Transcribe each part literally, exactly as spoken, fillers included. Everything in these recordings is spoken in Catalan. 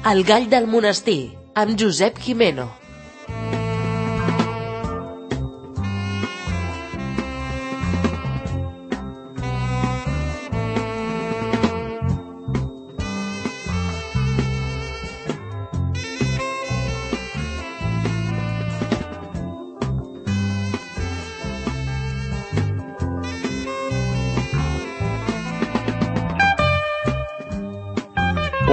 El gall del monestir, amb Josep Gimeno.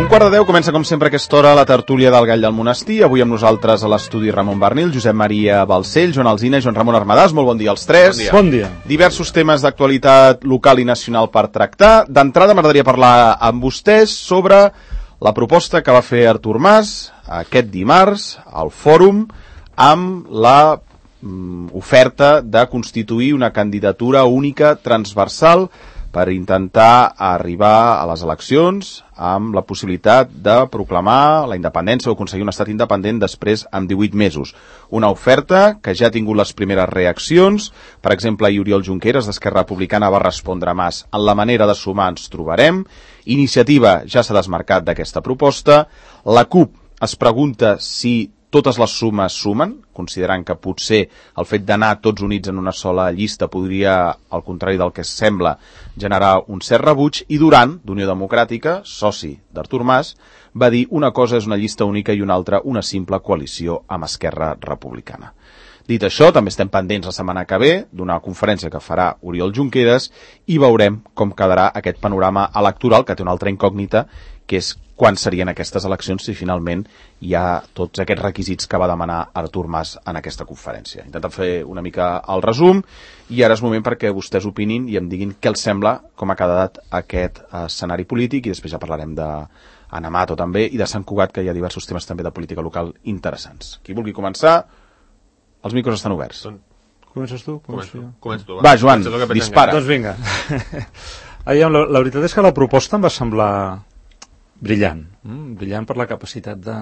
Un quart de deu comença, com sempre, a aquesta hora la tertúlia del Gall del Monestir. Avui amb nosaltres a l'estudi Ramon Barnil, Josep Maria Balcells, Joan Alsina i Joan Ramon Armadàs. Molt bon dia als tres. Bon dia. Bon dia. Diversos temes d'actualitat local i nacional per tractar. D'entrada m'agradaria parlar amb vostès sobre la proposta que va fer Artur Mas aquest dimarts al fòrum amb la mm, oferta de constituir una candidatura única transversal per intentar arribar a les eleccions amb la possibilitat de proclamar la independència o aconseguir un estat independent després amb divuit mesos. Una oferta que ja ha tingut les primeres reaccions. Per exemple, Oriol Junqueras, d'Esquerra Republicana, va respondre a Mas: en la manera de sumar ens trobarem. Iniciativa ja s'ha desmarcat d'aquesta proposta. La CUP es pregunta si totes les sumes sumen, considerant que potser el fet d'anar tots units en una sola llista podria, al contrari del que sembla, generar un cert rebuig. I Duran, d'Unió Democràtica, soci d'Artur Mas, va dir una cosa és una llista única i una altra una simple coalició amb Esquerra Republicana. Dit això, també estem pendents la setmana que ve d'una conferència que farà Oriol Junqueras i veurem com quedarà aquest panorama electoral, que té una altra incògnita, que és quan serien aquestes eleccions si finalment hi ha tots aquests requisits que va demanar Artur Mas en aquesta conferència. Intentem fer una mica el resum i ara és moment perquè vostès opinin i em diguin què els sembla, com ha quedat aquest escenari polític, i després ja parlarem d'Anamato també i de Sant Cugat, que hi ha diversos temes també de política local interessants. Qui vulgui començar, els micros estan oberts. Comences tu? Començo, començo tu. Va, va Joan, dispara. Doncs vinga. Aviam, la, la veritat és que la proposta em va semblar brillant, mm? brillant per la capacitat de,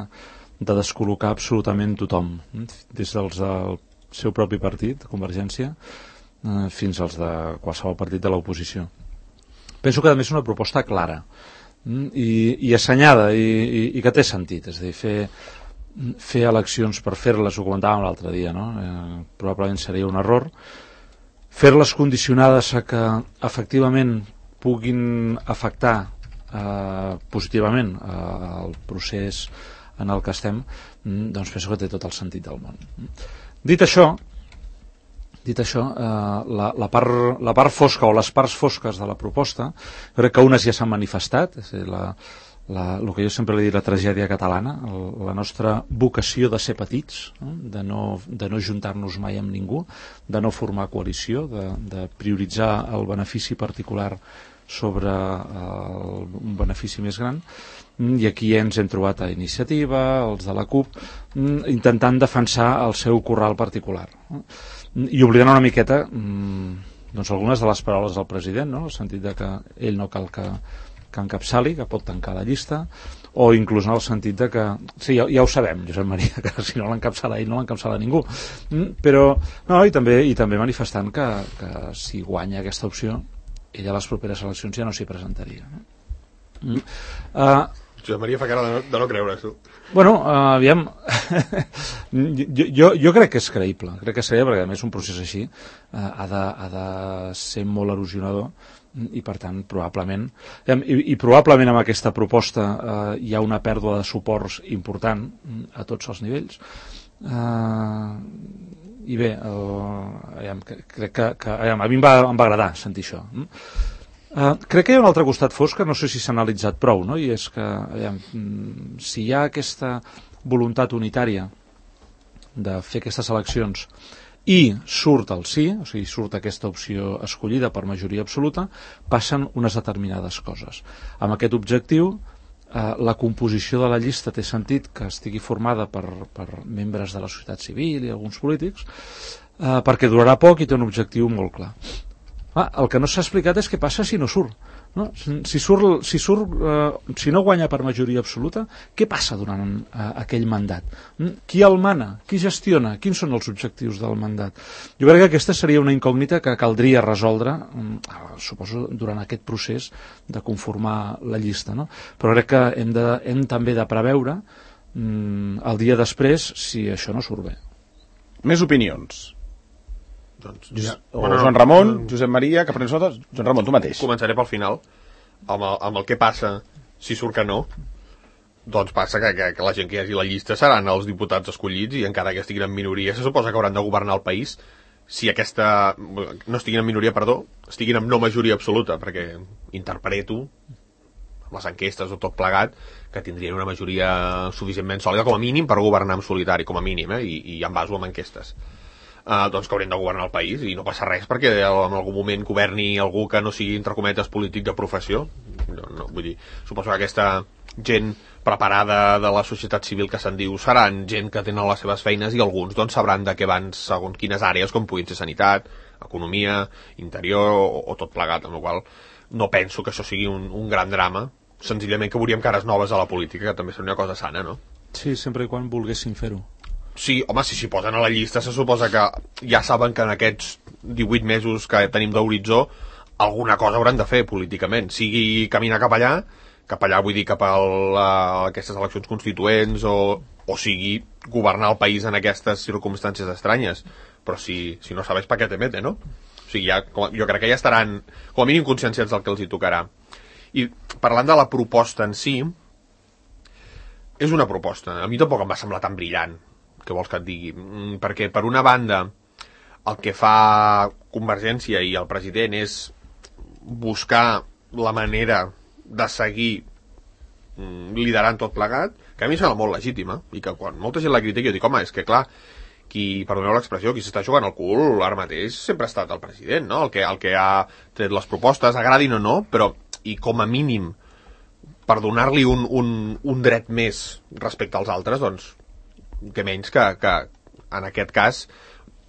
de descol·locar absolutament tothom, mm? des dels del seu propi partit, Convergència, eh, fins als de qualsevol partit de l'oposició. Penso que a més és una proposta clara mm? I, i assenyada i, i, i que té sentit, és a dir, fer, fer eleccions per fer-les, ho comentàvem l'altre dia, no? eh, probablement seria un error. Fer-les condicionades a que efectivament puguin afectar Uh, positivament uh, el procés en el que estem, mm, doncs penso que té tot el sentit del món. Dit això, dit això uh, la, la, part, la part fosca o les parts fosques de la proposta, crec que unes ja s'han manifestat, és a dir, la, la, el que jo sempre li dic, la tragèdia catalana, el, la nostra vocació de ser petits, no? De, no, de no juntar-nos mai amb ningú, de no formar coalició, de, de prioritzar el benefici particular sobre el, un benefici més gran, i aquí ens hem trobat a Iniciativa, els de la CUP, intentant defensar el seu corral particular, i oblidant una miqueta doncs algunes de les paraules del president, no? En el sentit de que ell no cal que, que encapçali, que pot tancar la llista, o inclús en el sentit de que, sí, ja, ja ho sabem, Josep Maria, que si no l'encapçala ell no l'encapçala ningú, però no, i també, i també manifestant que, que si guanya aquesta opció ella a les properes eleccions ja no s'hi presentaria. Mm. Uh, Josep Maria fa cara de no, de no creure, tu. Bueno, uh, aviam, jo, jo, jo crec que és creïble, crec que és creïble, perquè a més un procés així uh, ha, de, ha de ser molt erosionador i per tant probablement i, i probablement amb aquesta proposta uh, hi ha una pèrdua de suports important a tots els nivells. Uh, i bé el, crec que, que a mi em va, em va agradar sentir això. Uh, crec que hi ha un altre costat fosc que no sé si s'ha analitzat prou, no? I és que aviam, si hi ha aquesta voluntat unitària de fer aquestes eleccions i surt el sí, o sigui, surt aquesta opció escollida per majoria absoluta, passen unes determinades coses. Amb aquest objectiu, eh, la composició de la llista té sentit que estigui formada per, per membres de la societat civil i alguns polítics, eh, perquè durarà poc i té un objectiu molt clar. Ah, el que no s'ha explicat és què passa si no surt, No? Si, surt, si, surt, eh, si no guanya per majoria absoluta, què passa durant eh, aquell mandat? Qui el mana? Qui gestiona? Quins són els objectius del mandat? Jo crec que aquesta seria una incògnita que caldria resoldre, eh, suposo, durant aquest procés de conformar la llista. No? Però crec que hem, de, hem també de preveure mm, el dia després si això no surt bé. Més opinions. Doncs, Josep, ja. o bueno, Joan Ramon, no, Josep Maria, que prenés notes. Joan Ramon, tu mateix. Començaré pel final, amb el, amb el que passa si surt que no. Doncs passa que, que, que la gent que hi hagi a la llista seran els diputats escollits i encara que estiguin en minoria, se suposa que hauran de governar el país. Si aquesta... no estiguin en minoria, perdó, estiguin en no majoria absoluta, perquè interpreto amb les enquestes o tot plegat que tindrien una majoria suficientment sòlida com a mínim per governar en solitari, com a mínim, eh? I, i en baso amb enquestes. Uh, doncs que haurien de governar el país i no passa res perquè en algun moment governi algú que no sigui, entre cometes, polític de professió. No, no, vull dir, suposo que aquesta gent preparada de la societat civil que se'n diu seran gent que tenen les seves feines i alguns doncs sabran de què van segons quines àrees, com puguin ser sanitat, economia, interior o, o tot plegat, amb la qual no penso que això sigui un, un gran drama, senzillament que veuríem cares noves a la política, que també seria una cosa sana, no? Sí, sempre i quan volguessin fer-ho. Sí, home, si s'hi posen a la llista se suposa que ja saben que en aquests divuit mesos que tenim d'horitzó alguna cosa hauran de fer políticament, sigui caminar cap allà, cap allà vull dir cap a, la, a aquestes eleccions constituents o, o sigui governar el país en aquestes circumstàncies estranyes, però si, si no sabes pa què te mete, no? O sigui, ja, com, jo crec que ja estaran com a mínim conscienciats del que els hi tocarà. I parlant de la proposta en si, és una proposta, a mi tampoc em va semblar tan brillant, que vols que et digui, perquè per una banda el que fa Convergència i el president és buscar la manera de seguir liderant tot plegat, que a mi sembla molt legítima, i que quan molta gent la critica jo dic, home, és que clar, qui, perdoneu l'expressió, qui s'està jugant el cul ara mateix sempre ha estat el president, no? El que, el que ha tret les propostes, agradin o no, però, i com a mínim per donar-li un, un, un dret més respecte als altres, doncs que menys que, que en aquest cas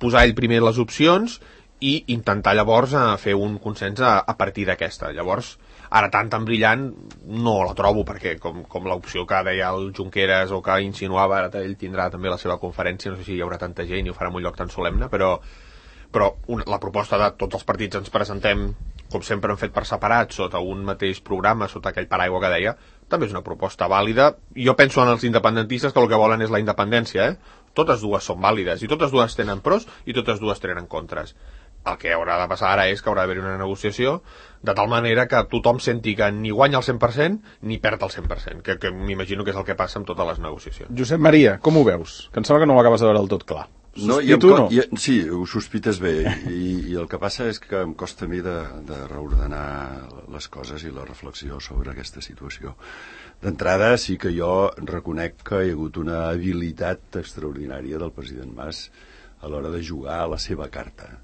posar ell primer les opcions i intentar llavors a fer un consens a, a partir d'aquesta. Llavors, ara tant tan brillant no la trobo, perquè com, com l'opció que deia el Junqueras o que insinuava, ara ell tindrà també la seva conferència, no sé si hi haurà tanta gent i ho farà en un lloc tan solemne, però, però una, la proposta de tots els partits ens presentem com sempre hem fet per separat, sota un mateix programa, sota aquell paraigua que deia, també és una proposta vàlida. Jo penso en els independentistes que el que volen és la independència, eh? Totes dues són vàlides, i totes dues tenen pros i totes dues tenen contres. El que haurà de passar ara és que haurà d'haver una negociació de tal manera que tothom senti que ni guanya el cent per cent ni perd el cent per cent, que, que m'imagino que és el que passa amb totes les negociacions. Josep Maria, com ho veus? Que em sembla que no ho acabes de veure del tot clar. No, i tu, no? I, sí, ho sospites bé, i, i el que passa és que em costa a mi de, de reordenar les coses i la reflexió sobre aquesta situació. D'entrada, sí que jo reconec que hi ha hagut una habilitat extraordinària del president Mas a l'hora de jugar a la seva carta.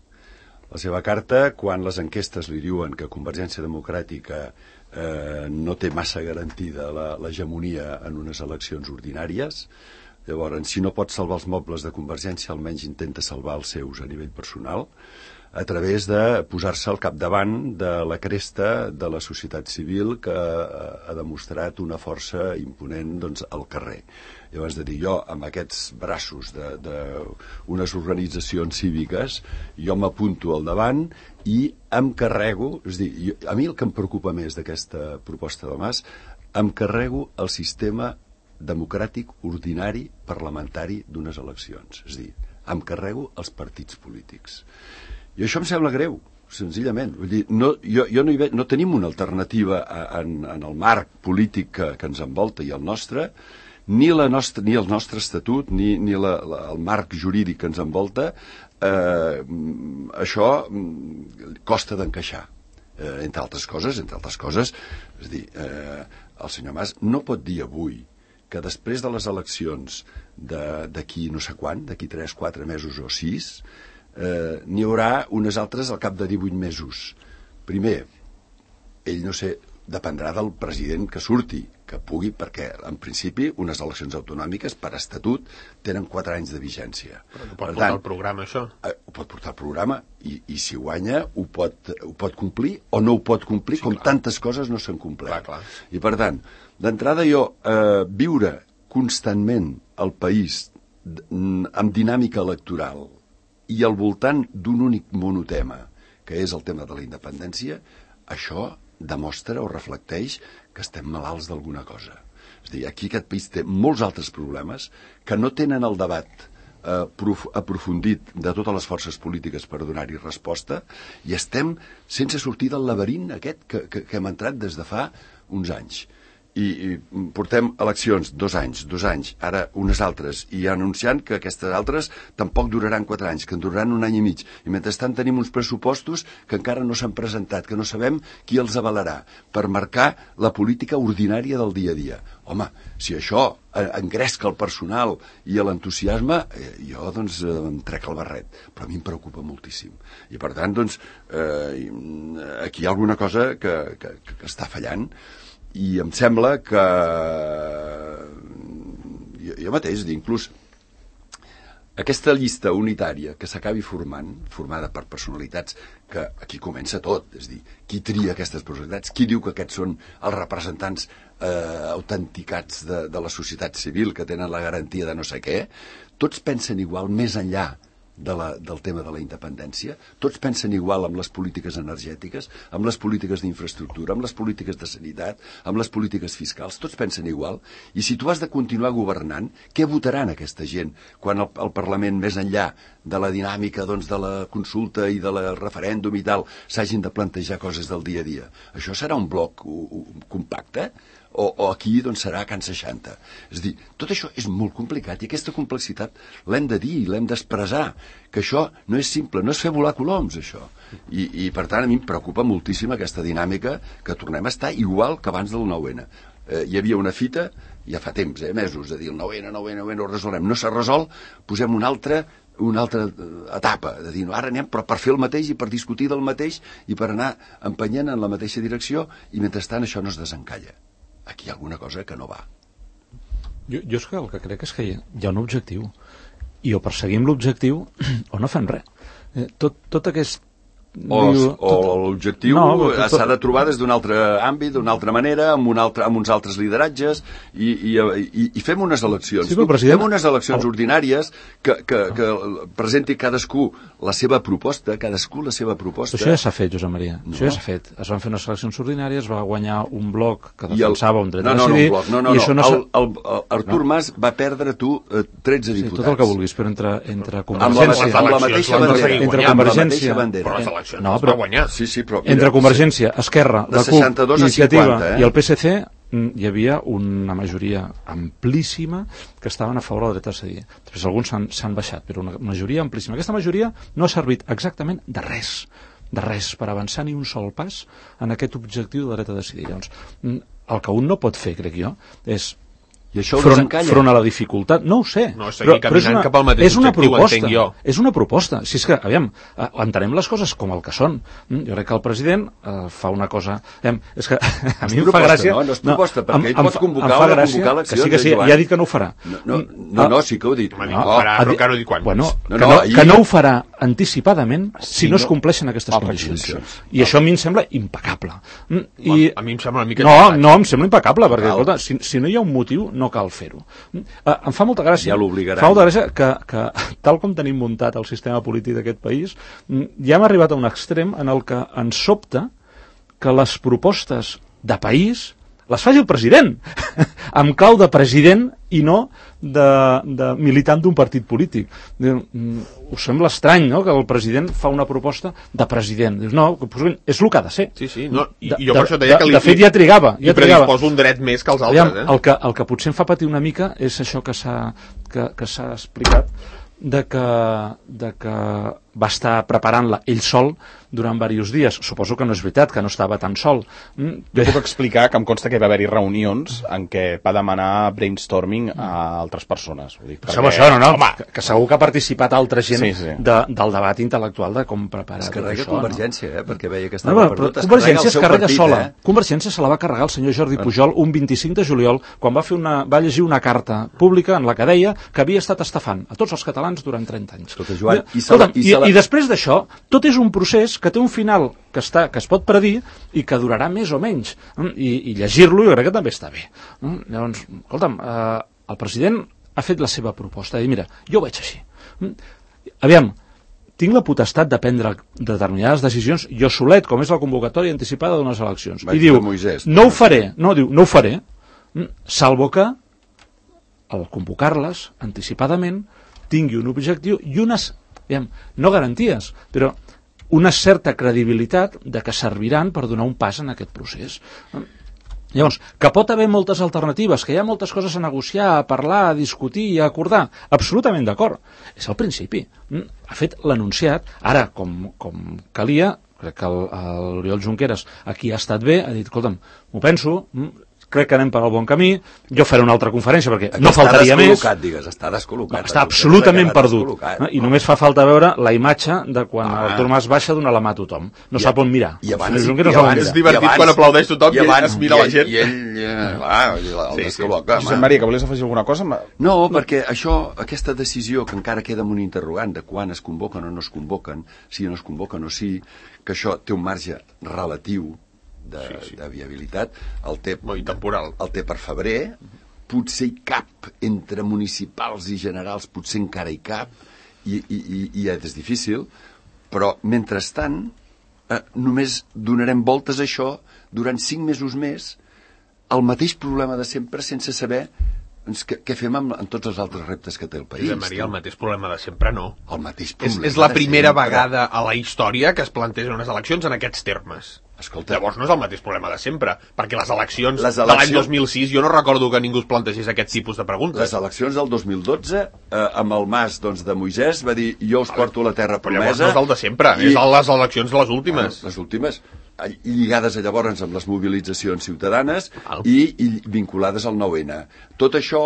La seva carta, quan les enquestes li diuen que Convergència Democràtica eh, no té massa garantida l'hegemonia en unes eleccions ordinàries. Llavors, si no pot salvar els mobles de Convergència, almenys intenta salvar els seus a nivell personal, a través de posar-se al capdavant de la cresta de la societat civil que ha demostrat una força imponent doncs, al carrer. Llavors, de dir, jo, amb aquests braços d'unes organitzacions cíviques, jo m'apunto al davant i em carrego, és a dir, jo, a mi el que em preocupa més d'aquesta proposta del Mas, em carrego el sistema democràtic ordinari parlamentari d'unes eleccions. És a dir, em carrego els partits polítics. I això em sembla greu, senzillament. Vull dir, no, jo, jo no, hi ve, no tenim una alternativa en, en el marc polític que, que ens envolta i el nostre, ni, la nostra, ni el nostre estatut, ni, ni la, la, el marc jurídic que ens envolta, eh, això costa d'encaixar. Eh, entre altres coses, entre altres coses, és a dir, eh, el senyor Mas no pot dir avui que després de les eleccions d'aquí no sé quan, d'aquí tres, quatre mesos o sis, eh, n'hi haurà unes altres al cap de divuit mesos. Primer, ell no sé dependrà del president que surti, que pugui, perquè en principi unes eleccions autonòmiques per estatut tenen quatre anys de vigència. Però no pot portar el programa, això? Eh, ho pot portar el programa i, i si guanya ho pot, ho pot complir o no ho pot complir, sí, com clar. Tantes coses no s'han complert. Clar, clar. I per tant, d'entrada jo, eh, viure constantment el país amb dinàmica electoral i al voltant d'un únic monotema, que és el tema de la independència, això demostra o reflecteix que estem malalts d'alguna cosa. És a dir, aquí aquest país té molts altres problemes que no tenen el debat eh, prof, aprofundit de totes les forces polítiques per donar-hi resposta i estem sense sortir del laberint aquest que, que, que hem entrat des de fa uns anys. I, i portem eleccions dos anys, dos anys, ara unes altres, i anunciant que aquestes altres tampoc duraran quatre anys, que en duraran un any i mig. I mentrestant tenim uns pressupostos que encara no s'han presentat, que no sabem qui els avalarà, per marcar la política ordinària del dia a dia. Home, si això engresca el personal i l'entusiasme, eh, jo doncs em trec el barret, però a mi em preocupa moltíssim. I per tant, doncs, eh, aquí hi ha alguna cosa que, que, que està fallant, i em sembla que jo, jo mateix, inclús aquesta llista unitària que s'acabi formant, formada per personalitats, que aquí comença tot, és a dir, qui tria aquestes personalitats, qui diu que aquests són els representants eh, autenticats de, de la societat civil, que tenen la garantia de no sé què, tots pensen igual més enllà De la, del tema de la independència, tots pensen igual amb les polítiques energètiques, amb les polítiques d'infraestructura, amb les polítiques de sanitat, amb les polítiques fiscals, tots pensen igual, i si tu has de continuar governant, què votaran aquesta gent quan el, el Parlament, més enllà de la dinàmica doncs, de la consulta i de la referèndum i tal, s'hagin de plantejar coses del dia a dia? Això serà un bloc u, u, compacte? O, o aquí doncs, serà Can seixanta. És a dir, tot això és molt complicat i aquesta complexitat l'hem de dir, l'hem d'expressar, que això no és simple, no és fer volar coloms, això. I, i per tant, a mi em preocupa moltíssim aquesta dinàmica que tornem a estar igual que abans del nou ene. Eh, hi havia una fita, ja fa temps, eh, mesos, de dir el nou ene, nou ene, nou ene, ho resolem. No s'ha resolt, posem una altra una altra etapa, de dir, no, ara anem però per fer el mateix i per discutir del mateix i per anar empenyent en la mateixa direcció i mentrestant això no es desencalla. Aquí hi ha alguna cosa que no va. Jo, jo és que el que crec és que hi ha, hi ha un objectiu i o perseguim l'objectiu o no fem res. Eh, tot, tot aquest... O, diu, tot... o l'objectiu no, tot... s'ha de trobar des d'un altre àmbit, d'una altra manera, amb, un altre, amb uns altres lideratges i, i, i, i fem unes eleccions. Sí, president... Fem unes eleccions oh. ordinàries que, que, que presenti cadascú la seva proposta, cadascú la seva proposta. Això ja s'ha fet, Josep Maria. No. Això ja s'ha fet. Es van fer unes eleccions ordinàries, va guanyar un bloc que defensava el... un dret no, no, a decidir. No, no, no, no, no. no. El, el, el Artur no. Mas va perdre tu eh, tretze sí, diputats. tot el que vulguis, però entre, entre Convergència... Amb la mateixa bandera. Entre Convergència... Però les eleccions no, però, va guanyar. Sí, sí, però, mira, entre Convergència, Esquerra, la CUP, Iniciativa cinquanta, eh? i el P S C hi havia una majoria amplíssima que estaven a favor del dret a decidir. Després alguns s'han baixat, però una majoria amplíssima. Aquesta majoria no ha servit exactament de res, de res per avançar ni un sol pas en aquest objectiu del dret a decidir. Llavors, el que un no pot fer, crec jo, és I això ho front, desencalla. front a la dificultat, no ho sé, no, però, però és una, cap al mateix és una proposta, jo. és una proposta. Si és que, aviam, entenem les coses com el que són. Jo crec que el president eh, fa una cosa... Aviam, és que a mi em fa gràcia... No, no és proposta, no, perquè ell pot convocar o no convocar l'acció. Que sí, que sí, ja ha dit que no ho farà. No, no, no, no sí que ho he dit. No, no, farà, però que no dic quan. Bueno, no, que, no, no, ahir... que no ho farà anticipadament si no es compleixen aquestes ah, condicions. condicions. I això a mi em sembla impecable. I... A mi em sembla una mica... No, no, em sembla impecable, perquè escolta, si, si no hi ha un motiu, no cal fer-ho. Uh, em fa molta gràcia, ja l'obligaran. fa molta gràcia que, que tal com tenim muntat el sistema polític d'aquest país, ja hem arribat a un extrem en el que ens sobta que les propostes de país les faci el president, amb clau de president i no de, de militant d'un partit polític. Us sembla estrany, no?, que el president fa una proposta de president. Dius, no, és el que ha de ser. Sí, sí, no, i, de, i jo per això deia de, que li... De fet, ja trigava. Ja li predisposo un dret més que els altres, Aviam, eh? El que, el que potser em fa patir una mica és això que s'ha que, que s'ha explicat, de que, de que va estar preparant-la ell sol durant diversos dies. Suposo que no és veritat, que no estava tan sol. Mm, jo puc explicar que em consta que va haver-hi reunions en què va demanar brainstorming a altres persones. Ho dic perquè... Això, això, no, no, home, que, que segur que ha participat altra gent sí, sí. De, del debat intel·lectual de com preparar es carrega això. Convergència, no? eh? Perquè veia que estava no, perdut. Es Convergència es carrega partit, sola. Eh? Convergència se la va carregar el senyor Jordi Pujol un vint-i-cinc de juliol, quan va, fer una, va llegir una carta pública en la que deia que havia estat estafant a tots els catalans durant trenta anys. Escolta, Joan, i, Escolta, i, i, i després d'això, tot és un procés que té un final que, està, que es pot predir i que durarà més o menys. I, i llegir-lo jo crec que també està bé. Llavors, escolta'm, eh, el president ha fet la seva proposta i mira, jo ho veig així. Aviam, tinc la potestat de prendre determinades decisions jo solet, com és la convocatòria anticipada d'unes eleccions. Vaig I diu, Moisès, no ho faré, no, diu, no ho faré, salvo que al convocar-les anticipadament tingui un objectiu i unes, aviam, no garanties, però una certa credibilitat de que serviran per donar un pas en aquest procés. Llavors, que pot haver moltes alternatives, que hi ha moltes coses a negociar, a parlar, a discutir i a acordar, absolutament d'acord. És el principi. Ha fet l'enunciat. Ara, com, com calia, crec que l'Oriol Junqueras aquí ha estat bé, ha dit, escolta'm, m'ho penso, crec que anem per al bon camí, jo faré una altra conferència perquè aquí no faltaria més. Està descol·locat, digues, està descol·locat. No, està absolutament perdut. No? I només fa falta veure la imatge de quan ah. Artur Mas baixa d'una la mà a tothom. No I, sap on mirar. I abans, i abans és divertit abans, quan aplaudeix tothom i, abans, i es mira i, la gent. I ell, eh, clar, el sí, descol·loca. Sí. Josep Maria, que volies afegir alguna cosa? No, perquè això, aquesta decisió que encara queda amb un interrogant de quan es convoquen o no es convoquen, si no es convoquen o sí, que això té un marge relatiu De, sí, sí. de viabilitat, el té, temporal. El té per febrer, potser hi cap entre municipals i generals, potser encara hi cap, i, i, i, i és difícil, però mentrestant eh, només donarem voltes a això durant cinc mesos més, el mateix problema de sempre, sense saber doncs, què, què fem amb, amb tots els altres reptes que té el país. Josep Maria, el mateix problema de sempre no. El mateix problema és, és la primera sempre. vegada a la història que es plantegen unes eleccions en aquests termes. Escolta, llavors no és el mateix problema de sempre, perquè les eleccions, les eleccions de l'any dos mil sis jo no recordo que ningú es plantegés aquest tipus de preguntes. Les eleccions del dos mil dotze, eh, amb el mas doncs, de Moisès, va dir jo us porto la terra promesa. Però llavors no és el de sempre, i... és les eleccions de les últimes. Ah, les últimes, lligades llavors amb les mobilitzacions ciutadanes i, i vinculades al nou ene. Tot això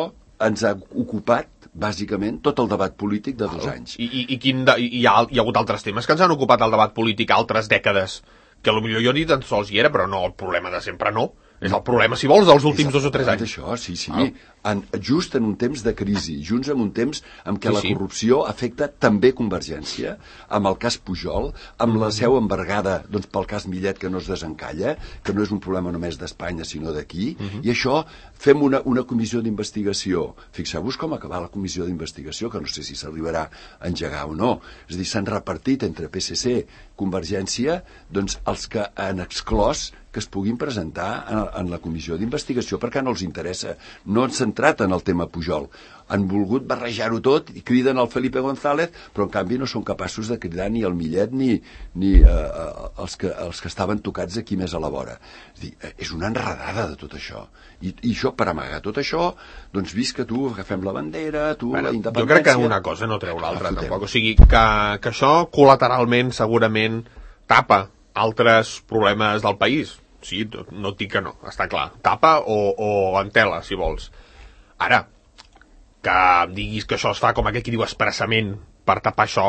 ens ha ocupat bàsicament tot el debat polític de dos anys. I, i, i, quin de, i hi, ha, hi ha hagut altres temes que ens han ocupat el debat polític altres dècades, que potser jo ni tan sols hi era, però no, el problema de sempre no. És el problema, si vols, dels últims dos o tres anys. Això, sí, sí. Ah. En, just en un temps de crisi, junts en un temps en què sí, la corrupció sí. afecta també Convergència, amb el cas Pujol, amb la seu embargada doncs, pel cas Millet, que no es desencalla, que no és un problema només d'Espanya, sinó d'aquí, uh -huh. i això fem una, una comissió d'investigació. Fixeu-vos com acabar la comissió d'investigació, que no sé si s'arribarà a engegar o no. És a dir, s'han repartit entre P S C, Convergència, doncs els que han exclòs que es puguin presentar en, en la comissió d'investigació perquè no els interessa. No han centrat en el tema Pujol. Han volgut barrejar-ho tot i criden el Felipe González, però en canvi no són capaços de cridar ni el Millet ni, ni eh, els, que, els que estaven tocats aquí més a la vora. És dir, és una enredada de tot això. I, i això, per amagar tot això, doncs vist que tu agafem la bandera, tu bueno, la independència... Jo crec que una cosa no treu l'altra, tampoc. O sigui, que, que això col·lateralment segurament tapa altres problemes del país. Sí, no et dic que no, està clar. Tapa o, o entela, si vols. Ara, que em diguis que això es fa com aquell que diu expressament per tapar això,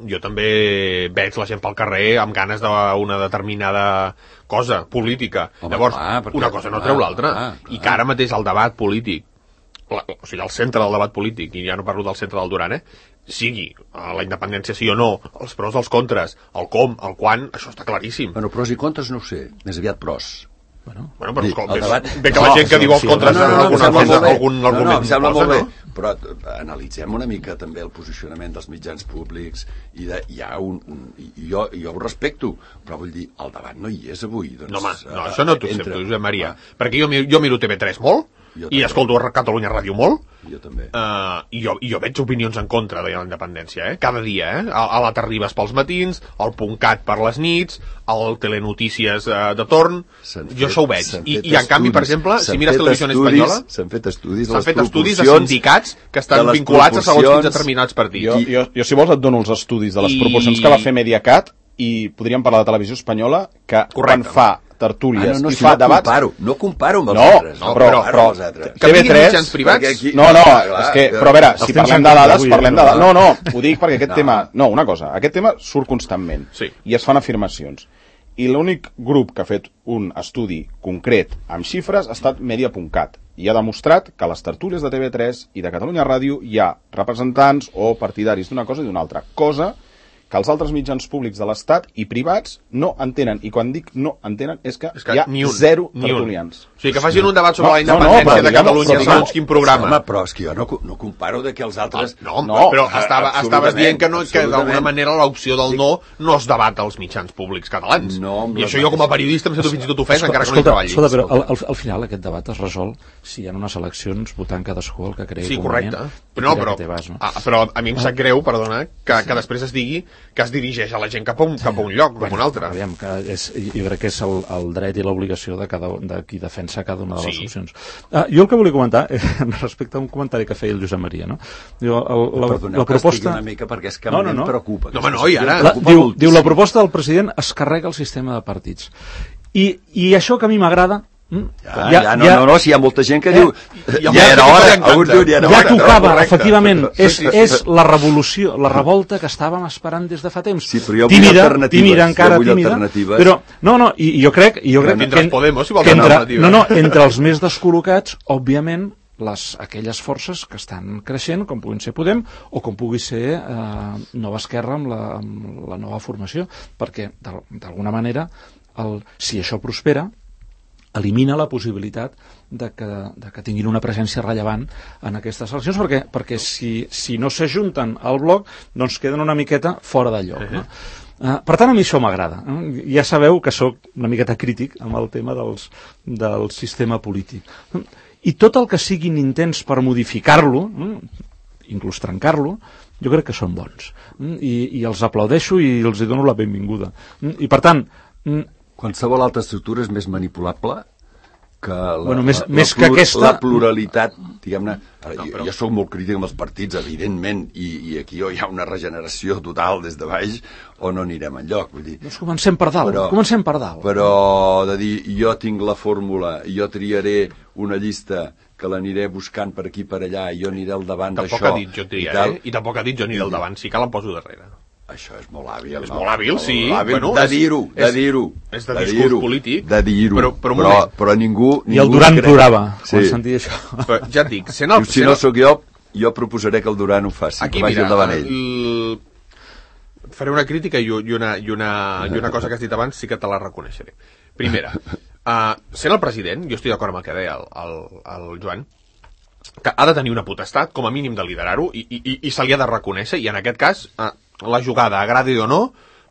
jo també veig la gent pel carrer amb ganes d'una determinada cosa política. Home, llavors, clar, perquè, una cosa no treu l'altra. I que ara mateix el debat polític, la, o sigui, el centre del debat polític, i ja no parlo del centre del Duran, eh? sigui la independència sí o no, els pros, els contres, el com, el quan, això està claríssim. Bueno, pros i contres no ho sé, més aviat pros. Bueno, bueno però escolta, debat... bé que la gent que no, diu els contres no, no, no, algun, no, algun, no, algun no, argument no, em sembla posa, molt bé, no? Però analitzem una mica també el posicionament dels mitjans públics i de, hi ha un, un i jo, jo ho respecto, però vull dir, el debat no hi és avui. Doncs, no, home, no, això no t'ho accepto, Josep Maria, ah. perquè jo, jo miro T V tres molt, Jo i també. escolto Catalunya Ràdio molt, Jo també. Uh, i, jo, i jo veig opinions en contra de la independència, eh? Cada dia, eh? A, a la Terribas pels matins, al .cat per les nits, al Telenotícies uh, de torn, S'han jo fet- això ho veig. s'han I, fet I en canvi, per estudis- exemple, si s'han mires fet Televisió estudis- Espanyola, s'han fet estudis de s'han les fet estudis de proporcions sindicats que de estan les vinculats a segons quins proporcions. determinats partits. Jo, jo, jo, si vols, et dono els estudis de les I- proporcions que va fer Mediacat i podríem parlar de Televisió Espanyola, que quan fa tertúlies Ah, no, no, i si fa no debats... comparo, no comparo amb els No, altres. no, comparo però- amb però- els altres. Que vinguin T V tres, mitjans privats? perquè aquí- No, no, clar, és que, clar, però a veure, els si temps parlem han de canviat dades, avui, parlem eh, de no? dades. No, no, ho dic perquè aquest No. tema... No, una cosa, aquest tema surt constantment Sí. i es fan afirmacions. I l'únic grup que ha fet un estudi concret amb xifres ha estat Media.cat i ha demostrat que a les tertúlies de T V tres i de Catalunya Ràdio hi ha representants o partidaris d'una cosa i d'una altra, cosa que els altres mitjans públics de l'Estat i privats no entenen. I quan dic no entenen és que, És que hi ha ni un, zero ni un. tertulians. O sigui, que facin un debat sobre No, la no, no, independència però de diguem- Catalunya, però diguem- segons quin programa. Home, però és que jo no, no comparo de que els altres... No, No, però eh, estava, estaves absolutament, dient que, no, que d'alguna absolutament. manera l'opció del no no es debat als mitjans públics catalans. No, amb I les això jo com a mateixes- periodista em sento fins i tot ofès, encara que no hi escolta, treballi. escolta, però al, al, al final aquest debat es resol si hi ha unes eleccions votant cadascú el que cregui Sí, convenient correcte. i Però, no, tirar però, que té vas, no? ah, però a mi em sap greu, perdona, que, que després es digui que es dirigeix a la gent cap a un, cap a un lloc, cap a un altre. Aviam, que és, jo crec que és el, el dret i l'obligació de, cada, de qui defensa cada una de les Sí. opcions. Ah, jo el que volia comentar, eh, respecte a un comentari que feia el Josep Maria, no? Diu, el, la, Perdoneu la que estigui proposta... una mica perquè és que No, a no, mi no. em preocupa. No, home, aquesta no, i qüestió ara- em La, preocupa diu, moltíssim. diu, la proposta del president es carrega el sistema de partits. I, i això que a mi m'agrada... mm, Ja, ja, no, no, no, si hi ha molta gent que Eh, diu... hi ha Ja molta era gent que hora, li encanta. alguns diuen ja era ja hora. tocava, correcte. efectivament. Sí, És, sí, sí. és la revolució, la revolta que estàvem esperant des de fa temps. Sí, però jo vull tímida, alternatives, tímida jo encara, vull tímida. alternatives. Però, no, no, i, i jo crec... I jo crec Tindràs que, Podemos, si vols que entre, alternatives. no, no, entre els més descol·locats, òbviament, les, aquelles forces que estan creixent, com puguin ser Podem, o com pugui ser eh, Nova Esquerra amb la, amb la nova formació, perquè d'al- d'alguna manera, el, si això prospera, elimina la possibilitat de que, de que tinguin una presència rellevant en aquestes eleccions, perquè, perquè si, si no s'ajunten al bloc, doncs queden una miqueta fora de lloc. No? Uh, per tant, a mi això m'agrada. Eh? Ja sabeu que sóc una miqueta crític amb el tema dels, del sistema polític. I tot el que siguin intents per modificar-lo, eh? inclús trencar-lo, jo crec que són bons. Eh? I, I els aplaudeixo i els hi dono la benvinguda. Eh? I per tant, mm, Qualsevol altra estructura és més manipulable que la, Bueno, més- la, més la, que aquesta- la pluralitat, diguem-ne. Ara, No, jo, però- jo sóc molt crític amb els partits, evidentment, i, i aquí hi ha una regeneració total des de baix o no anirem enlloc. Vull dir, doncs comencem per dalt. Però- comencem per dalt. però de dir, jo tinc la fórmula, jo triaré una llista que l'aniré buscant per aquí per allà, i jo aniré al davant d'això. Tampoc ha dit jo i triaré, tal. i tampoc ha dit jo aniré al davant, si cal em poso darrere. Això és molt hàbil. És no? molt hàbil, sí. Molt hàbil, Bueno, de és- dir-ho, de és- dir-ho. és de de discurs dir-ho, polític. De dir-ho. Però- però un però, moment. però ningú, ningú... I el Duran crec- plorava Sí. quan sentia això. Però ja et dic, sent el... Diu, si sent no el- sóc jo, jo proposaré que el Duran ho faci, Aquí, que vagi mira, al davant ell. el... faré una crítica i, i, una, i, una, i una cosa que has dit abans sí que te la reconeixeré. Primera, uh, sent el president, jo estic d'acord amb el que deia el, el, el Joan, que ha de tenir una potestat, com a mínim de liderar-ho, i, i, i se li ha de reconèixer, i en aquest cas, uh, la jugada, agradi o no,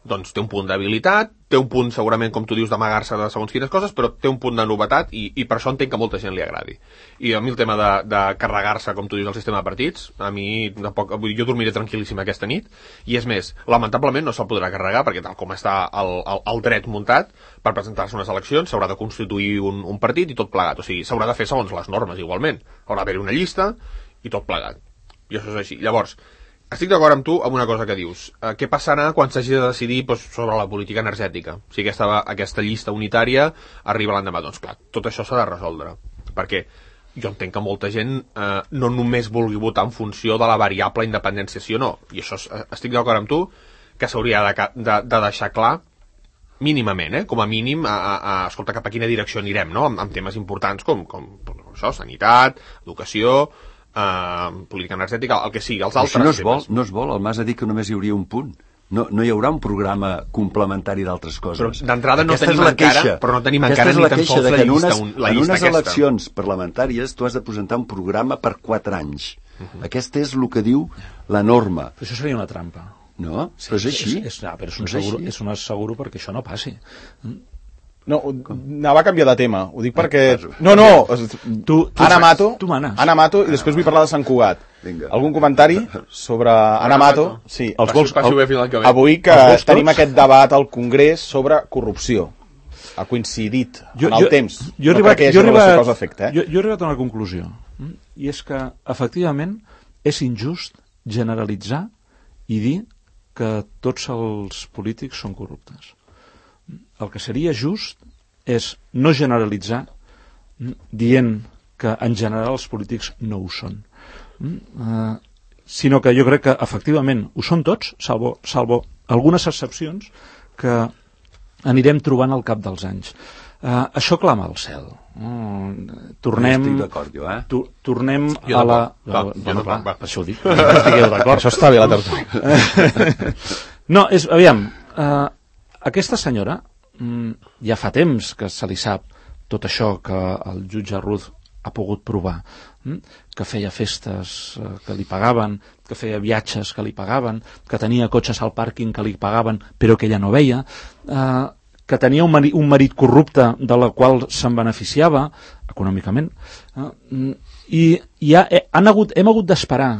doncs té un punt d'habilitat, té un punt segurament, com tu dius, d'amagar-se de segons quines coses, però té un punt de novetat i, i per això entenc que molta gent li agradi. I a mi el tema de, de carregar-se, com tu dius, el sistema de partits, a mi tampoc, vull dir, jo dormiré tranquil·líssim aquesta nit, i és més, lamentablement no se'l podrà carregar, perquè tal com està el, el, el dret muntat, per presentar-se unes eleccions s'haurà de constituir un, un partit i tot plegat, o sigui, s'haurà de fer segons les normes igualment, haurà d'haver-hi una llista i tot plegat. I això és així. Llavors, estic d'acord amb tu amb una cosa que dius. Eh, què passarà quan s'hagi de decidir doncs, sobre la política energètica? Si aquesta, aquesta llista unitària arriba l'endemà. Doncs clar, tot això s'ha de resoldre. Perquè jo entenc que molta gent eh, no només vulgui votar en funció de la variable independència sí o no. I això eh, estic d'acord amb tu que s'hauria de, de, de deixar clar mínimament, eh? Com a mínim, a, a, a, escolta, cap a quina direcció anirem, no? Amb, amb temes importants com, com, com això, sanitat, educació, eh, política energètica, el que sigui, els Però altres això no es vol, temes. no es vol, el Mas ha dit que només hi hauria un punt. No, no hi haurà un programa complementari d'altres coses. Però d'entrada no Aquesta tenim és la encara- queixa. però no tenim Aquesta encara és ni la tan queixa sols de la que en llista, unes, un- la en llista unes aquesta. eleccions parlamentàries tu has de presentar un programa per quatre anys. Uh -huh. Aquest és el que diu la norma. Però això seria una trampa. No? Però és així. És, és, ah, però és un, És seguro, així. és un asseguro perquè això no passi. Mm. No, anava a canviar de tema. Ho dic perquè... No, no, tu, tu, Ana Mato, tu manes. Ana Mato, i després vull parlar de Sant Cugat. Vinga. Algun comentari sobre Ana Mato? Sí. Els vols, Passi-ho bé fins l'any que ve. Avui que Els vols tenim tots? aquest debat al Congrés sobre corrupció. Ha coincidit jo, en el jo, temps. Jo he no arribat, crec que hi jo he hagi relació arribat, causa-efecte. Eh? jo, jo he arribat a una conclusió. I és que, efectivament, és injust generalitzar i dir que tots els polítics són corruptes. El que seria just és no generalitzar dient que en general els polítics no ho són. Uh, sinó que jo crec que efectivament ho són tots, salvo, salvo algunes excepcions que anirem trobant al cap dels anys. Uh, això clama al cel. Uh, tornem... Estic d'acord, jo, eh? Tu, tornem Jo a la... Va, bueno, jo no, clar, va. per això ho dic. Estigueu d'acord. Això està bé, la tertúlia. No, és, aviam, uh, aquesta senyora mm, ja fa temps que se li sap tot això que el jutge Ruz ha pogut provar, mm? que feia festes eh, que li pagaven, que feia viatges que li pagaven, que tenia cotxes al pàrquing que li pagaven però que ella no veia, eh, que tenia un marit, un marit corrupte de la qual se'n beneficiava econòmicament, eh, i, i ha, eh, han hagut, hem hagut d'esperar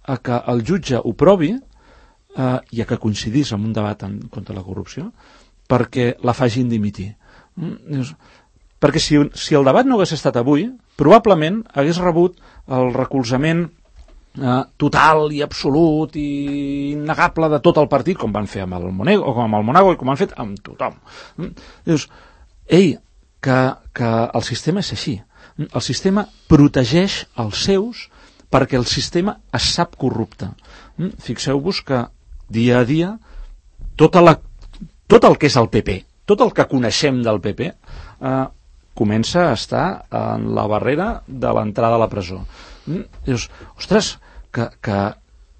a que el jutge ho provi eh, i a que coincidís amb un debat en, contra la corrupció perquè la facin dimitir. Mm? Dius, perquè si, si el debat no hagués estat avui, probablement hagués rebut el recolzament eh, total i absolut i innegable de tot el partit, com van fer amb el Monego, o com amb el Monago i com han fet amb tothom. Mm? Dius, ei, que, que el sistema és així. El sistema protegeix els seus perquè el sistema es sap corrupte. Mm? Fixeu-vos que dia a dia tota la, tot el que és el P P, tot el que coneixem del P P, eh, comença a estar en la barrera de l'entrada a la presó. Mm? Dius, ostres, que, que,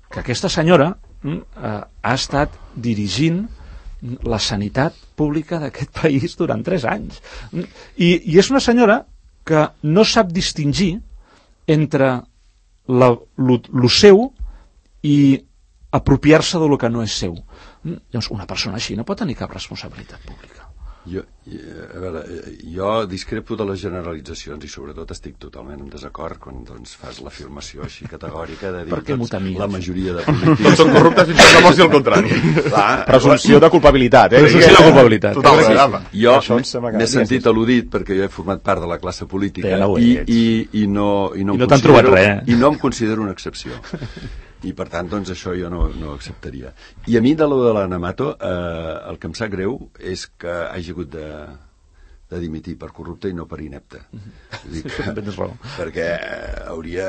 que aquesta senyora mm, eh, ha estat dirigint la sanitat pública d'aquest país durant tres anys. Mm? I, I és una senyora que no sap distingir entre la, lo, lo seu i apropiar-se de lo que no és seu. Mm? Llavors, una persona així no pot tenir cap responsabilitat pública. Jo, a veure, jo discrepo de les generalitzacions i sobretot estic totalment en desacord quan doncs, fas l'afirmació així categòrica de dir Per què m'ho doncs, temies? la majoria de polítics... Tots són corruptes fins que demostri el contrari. Presumpció de culpabilitat, eh? Presumpció de culpabilitat. Total, Sí, sí. jo Això em sembla que- m'he sentit al·ludit perquè jo he format part de la classe política Bé, no ho i, ets. i, i no, i no, I em no t'han considero- trobat res. i no em considero una excepció. I per tant, doncs, això jo no, no acceptaria. I a mi, de lo de l'Ana Mato, eh, el que em sap greu és que hagi hagut de, de dimitir per corrupte i no per inepte. Vull dir que, Tens raó. perquè eh, hauria,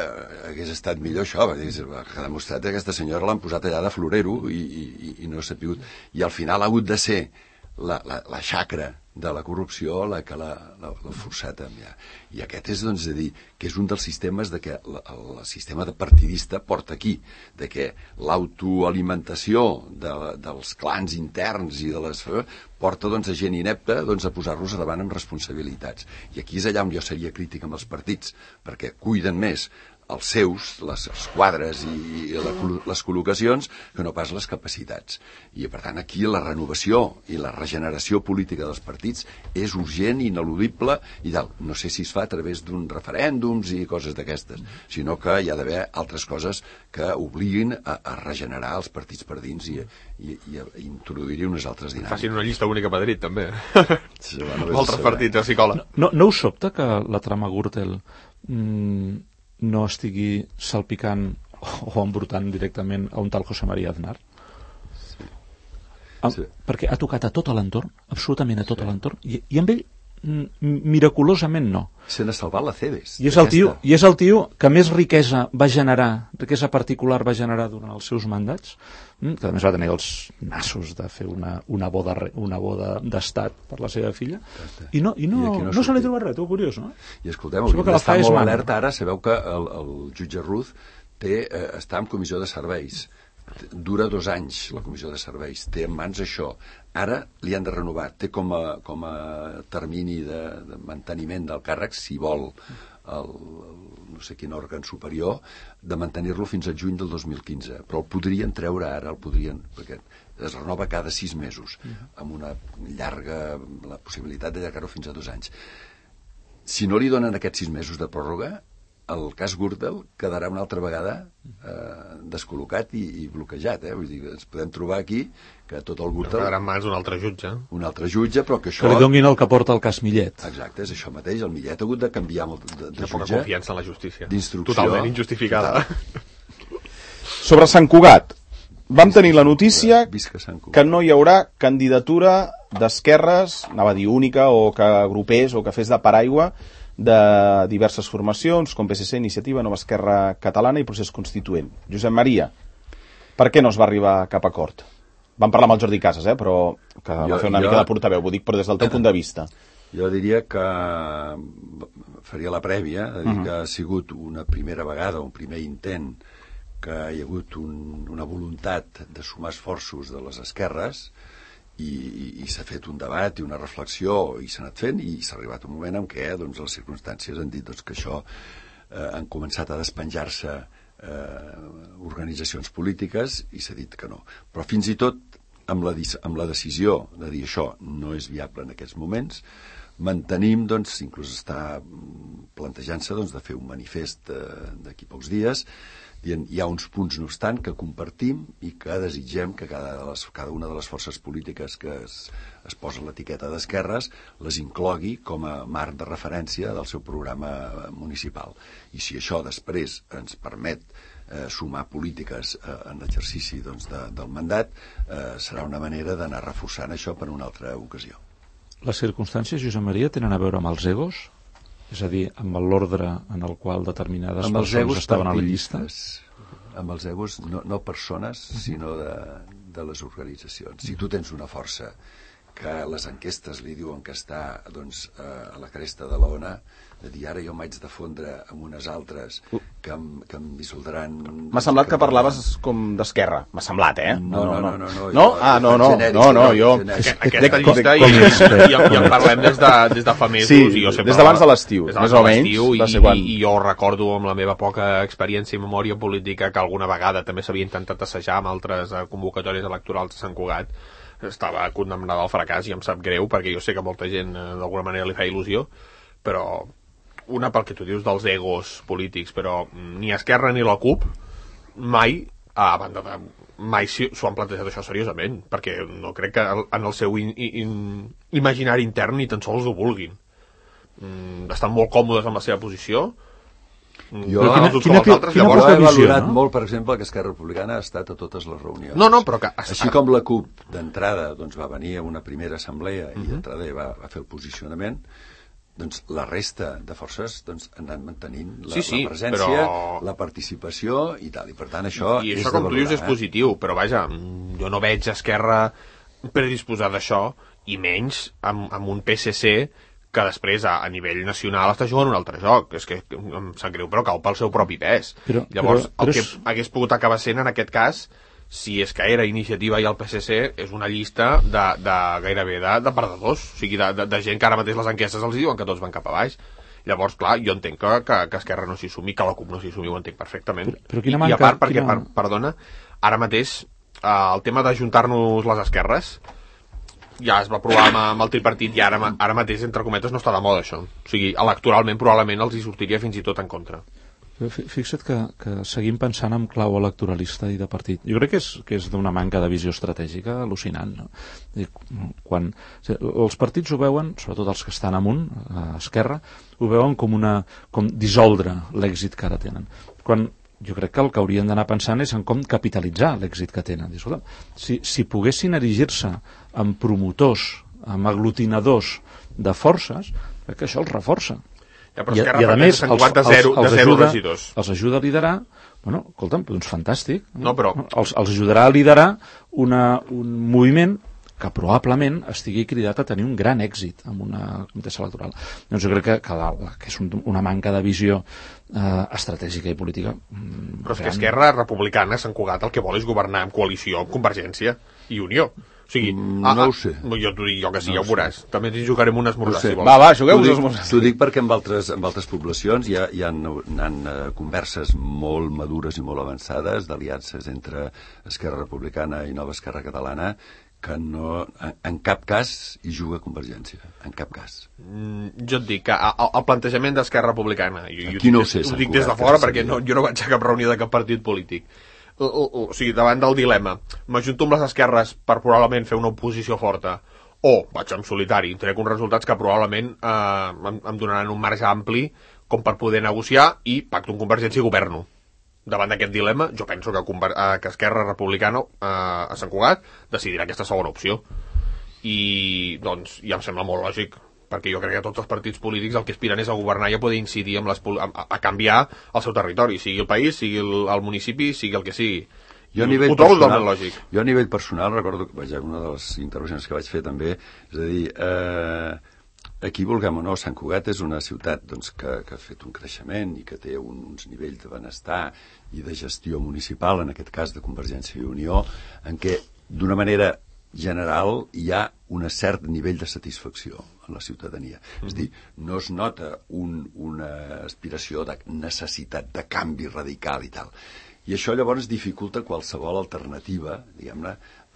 hagués estat millor això, perquè que ha demostrat que aquesta senyora l'han posat allà de florero i, i, i no s'ha sapigut. I al final ha hagut de ser la, la, la xacra de la corrupció la que l'ha forçat a enviar. I aquest és, doncs, de dir, que és un dels sistemes de que el, el sistema de partidista porta aquí, de que l'autoalimentació de, dels clans interns i de les... porta, doncs, a gent inepta doncs, a posar-los davant amb responsabilitats. I aquí és allà on jo seria crític amb els partits, perquè cuiden més els seus, les els quadres i la, les col·locacions, que no pas les capacitats. I, per tant, aquí la renovació i la regeneració política dels partits és urgent, ineludible, i tal. No sé si es fa a través d'un referèndums i coses d'aquestes, sinó que hi ha d'haver altres coses que obliguin a, a regenerar els partits per dins i, i, i a introduir-hi unes altres dinàmiques. Facin una llista única a Madrid, també. Sí, bueno, Altres partits a psicòleg. No, no us sobta que la trama Gürtel mm, no estigui salpicant o embrutant directament a un tal José María Aznar? Sí. Ah, Sí. Perquè ha tocat a tot l'entorn, absolutament a tot sí. l'entorn, i, i amb ell mm, miraculosament no. Se n'ha salvat la Cebes. I és, el tio, I és el tio que més riquesa va generar, riquesa particular va generar durant els seus mandats, que a més va tenir els nassos de fer una, una boda una boda d'estat per la seva filla, i no, i no, I no no se li troba res, tu curiós, no? I escolteu, Sabeu hauríem que la d'estar fa és molt mana. alerta ara, sabeu que el, el jutge Ruz té, eh, està en comissió de serveis, dura dos anys la comissió de serveis, té en mans això, ara li han de renovar, té com a, com a termini de, de manteniment del càrrec, si vol el, no sé quin òrgan superior, de mantenir-lo fins al juny del dos mil quinze, però el podrien treure ara, el podrien, perquè es renova cada sis mesos, amb una llarga, la possibilitat d'allargar-ho fins a dos anys. Si no li donen aquests sis mesos de pròrroga, el cas Gürtel quedarà una altra vegada eh, descol·locat i, i bloquejat. Eh? Vull dir, ens podem trobar aquí que tot el Gürtel... Quedarà en mans d'un altre jutge. Un altre jutge, però que això... Que li donguin el que porta el cas Millet. Exacte, és això mateix. El Millet ha hagut de canviar molt de, de Hi ha poca jutge. confiança en la justícia. D'instrucció. Totalment injustificada. Total. Sobre Sant Cugat, vam tenir la notícia Visca Sant Cugat. que no hi haurà candidatura d'esquerres, anava a dir única, o que agrupés o que fes de paraigua de diverses formacions, com P S C, Iniciativa, Nova Esquerra Catalana i Procés Constituent. Josep Maria, per què no es va arribar a cap acord? Vam parlar amb el Jordi Casas, eh, però que jo, va fer una jo, mica de portaveu, ho dic, però des del teu punt de vista. Jo diria que faria la prèvia, de dir uh -huh. que ha sigut una primera vegada, un primer intent, que hi ha hagut un, una voluntat de sumar esforços de les esquerres, i, i, i s'ha fet un debat i una reflexió i s'ha anat fent i s'ha arribat un moment en què doncs, les circumstàncies han dit doncs, que això eh, han començat a despenjar-se eh, organitzacions polítiques i s'ha dit que no. Però fins i tot amb la, amb la decisió de dir això no és viable en aquests moments, mantenim, doncs, inclús està plantejant-se doncs, de fer un manifest d'aquí pocs dies, dient, hi ha uns punts, no obstant, que compartim i que desitgem que cada, de les, cada una de les forces polítiques que es, es posa l'etiqueta d'esquerres les inclogui com a marc de referència del seu programa municipal. I si això després ens permet eh, sumar polítiques eh, en l'exercici doncs, de, del mandat, eh, serà una manera d'anar reforçant això per una altra ocasió. Les circumstàncies, Josep Maria, tenen a veure amb els egos? És a dir, amb l'ordre en el qual determinades amb persones estaven a la llista? Amb els egos, no, no persones, sinó de, de les organitzacions. Si tu tens una força que les enquestes li diuen que està doncs, a la cresta de l'ona, de dir ara jo m'haig de fondre amb unes altres que em, que em dissoldran... M'ha semblat que, que parlaves com d'esquerra. M'ha semblat, eh? No, no, no. No, no, no? Ah, no, no, no, no, jo... Aquesta llista i, i, i en parlem des de, des de fa mesos. Sí, i jo sempre, des d'abans de l'estiu, més o menys. I, va ser quan... i, I jo recordo amb la meva poca experiència i memòria política que alguna vegada també s'havia intentat assajar amb altres convocatòries electorals de Sant Cugat. Estava condemnada al fracàs i em sap greu perquè jo sé que molta gent d'alguna manera li fa il·lusió, però una pel que tu dius dels egos polítics, però ni Esquerra ni la CUP mai, a banda de mai s'ho han plantejat això seriosament, perquè no crec que en el seu in, in, imaginari intern ni tan sols ho vulguin. Mm, estan molt còmodes amb la seva posició. Jo, no, quina, quina, quina, altres, llavors, he valorat no? molt, per exemple, que Esquerra Republicana ha estat a totes les reunions. No, no, però que... Així com la CUP, d'entrada, doncs, va venir a una primera assemblea i uh -huh. d'entrada va, va fer el posicionament, doncs la resta de forces doncs, han anat mantenint la, sí, sí, la presència, però... la participació i tal. I per tant això I és això, com de valorar, tu dius, és eh? positiu, però vaja, jo no veig Esquerra predisposada a això, i menys amb, amb un P S C que després a, a nivell nacional està jugant un altre joc. És que em sap greu, però cau pel seu propi pes. Però, Llavors, però, però el que és... hagués pogut acabar sent en aquest cas, si és que era Iniciativa i el P S C, és una llista de, de gairebé de, de perdedors, o sigui, de, de, de gent que ara mateix les enquestes els diuen que tots van cap a baix. Llavors, clar, jo entenc que, que, que Esquerra no s'hi sumi, que la CUP no s'hi sumi, ho entenc perfectament. Però, però quina I, manca, I a part, perquè, quina... per, perdona, ara mateix eh, el tema d'ajuntar-nos les esquerres ja es va provar amb, amb el tripartit i ara, ara mateix, entre cometes, no està de moda això. O sigui, electoralment probablement els hi sortiria fins i tot en contra. Fixa't que, que seguim pensant en clau electoralista i de partit. Jo crec que és, que és d'una manca de visió estratègica al·lucinant. No? Quan, els partits ho veuen, sobretot els que estan amunt, a esquerra, ho veuen com, una, com dissoldre l'èxit que ara tenen. Quan jo crec que el que haurien d'anar pensant és en com capitalitzar l'èxit que tenen. Si, si poguessin erigir-se en promotors, en aglutinadors de forces, crec que això els reforça. Ja, però I, i a més els, de zero, els, els, de zero ajuda, regidors. els ajuda a liderar, bueno, escolta'm, doncs fantàstic, no, però... els, els ajudarà a liderar una, un moviment que probablement estigui cridat a tenir un gran èxit en una contesa electoral. Doncs jo crec que, que, la, que és un, una manca de visió eh, estratègica i política. Però és que Esquerra Republicana, Sant Cugat, el que vol és governar en coalició amb Convergència i Unió. O sigui, Mm, ah, no ah, ho sé. Jo t'ho dic, jo que sí, No ja ho ho veuràs. sé. També ens hi jugarem un esmorzar, No sé. si vols. Va, va, jugueu T'ho us dic- els mos- T'ho dic perquè en altres, en altres poblacions hi ha, hi ha, hi ha uh, converses molt madures i molt avançades d'aliances entre Esquerra Republicana i Nova Esquerra Catalana que no, en, en cap cas hi juga Convergència, en cap cas. Mm, jo et dic que a- a- el plantejament d'Esquerra Republicana, jo, jo Aquí no ho dic- sé, ho Sant dic des de Cugat, fora que perquè sabia. no, jo no vaig a cap reunió de cap partit polític. O, o, o sigui, davant del dilema, m'ajunto amb les esquerres per probablement fer una oposició forta, o vaig en solitari, trec uns resultats que probablement eh, em, em donaran un marge ampli com per poder negociar i pacto amb Convergència i governo. Davant d'aquest dilema, jo penso que, Conver eh, que Esquerra Republicana eh, a Sant Cugat decidirà aquesta segona opció. I, doncs, ja em sembla molt lògic, perquè jo crec que tots els partits polítics el que aspiren és a governar i a poder incidir amb les, a, a canviar el seu territori, sigui el país, sigui el, el municipi, sigui el que sigui. Jo a nivell Ho trobo personal, totalment lògic. jo a nivell personal recordo que vaja, una de les intervencions que vaig fer també, és a dir, eh, aquí, vulguem o no, Sant Cugat és una ciutat doncs, que, que ha fet un creixement i que té un, uns nivells de benestar i de gestió municipal, en aquest cas de Convergència i Unió, en què d'una manera general hi ha un cert nivell de satisfacció en la ciutadania. Mm-hmm. És a dir, no es nota un, una aspiració de necessitat de canvi radical i tal. I això llavors dificulta qualsevol alternativa, diguem-ne,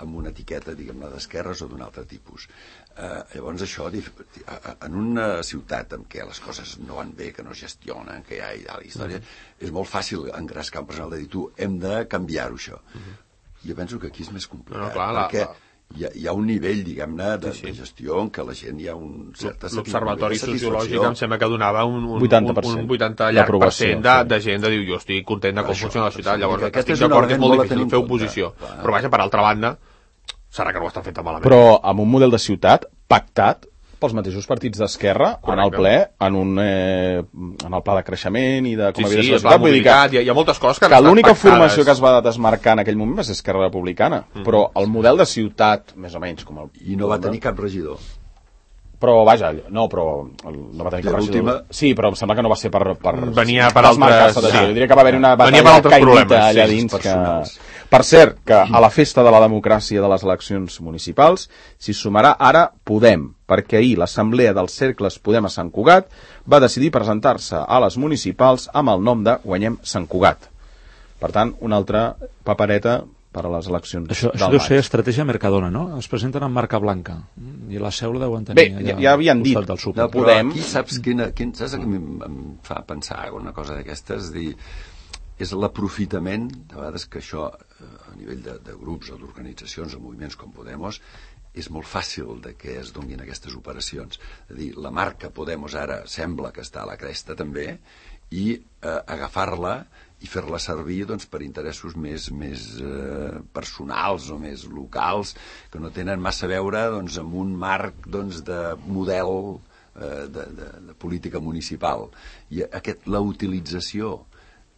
amb una etiqueta, diguem-ne, d'esquerres o d'un altre tipus. Eh, llavors això, en una ciutat en què les coses no van bé, que no es gestionen, que hi ha, hi ha la història, mm-hmm. és molt fàcil engrescar un personal de dir, tu, hem de canviar-ho, això. Mm-hmm. Jo penso que aquí és més complicat, no, clar, perquè... La, la... Hi ha, hi ha un nivell, diguem-ne, de, sí, sí. de gestió en què la gent hi ha un cert... L'observatori sociològic em sembla que donava un, un, vuitanta per cent un vuitanta llarg per cent de, sí. de gent de dir jo estic content de com Això, funciona la ciutat. sí, Llavors, aquest estic és un d'acord que és element molt molt a difícil tenir fer en oposició. compte, clar. Però vaja, per altra banda, serà que no ho estan fent tan malament. Però amb un model de ciutat pactat pels mateixos partits d'Esquerra en el ple, en, un, eh, en el pla de creixement i de com sí, havia de sí, ser la el pla ciutat. Vull dir que, mobilitat, hi ha, hi ha moltes coses que, que han estat l'única pactades. formació que es va desmarcar en aquell moment va ser Esquerra Republicana. Mm. Però el model de ciutat, més o menys, com el... I no va tenir cap regidor. Però, vaja, no, però no va tenir cap regidor. Sí, però em sembla que no va ser per... per Venia per desmarcar-se altres... de sí. Jo diria que va haver-hi una Venia per batalla altres caïdita problemes, allà sí, dins. personals. Que... Per cert, que a la festa de la democràcia de les eleccions municipals s'hi sumarà ara Podem, perquè ahir l'Assemblea dels Cercles Podem a Sant Cugat va decidir presentar-se a les municipals amb el nom de Guanyem Sant Cugat. Per tant, una altra papereta per a les eleccions Això, del això deu maig. ser estratègia Mercadona, no? Es presenten amb marca blanca i la seu la deuen tenir Bé, allà ja, ja havien al dit costat del súper. de Però Podem... aquí saps quina, quin, saps que em, em fa pensar una cosa d'aquestes? Dir, és l'aprofitament, de vegades que això a nivell de, de grups o d'organitzacions o moviments com Podemos és molt fàcil de que es donguin aquestes operacions. És a dir, la marca Podemos ara sembla que està a la cresta també i eh, agafar-la i fer-la servir doncs, per interessos més, més eh, personals o més locals que no tenen massa a veure doncs, amb un marc doncs, de model eh, de, de, de política municipal. I aquest, la utilització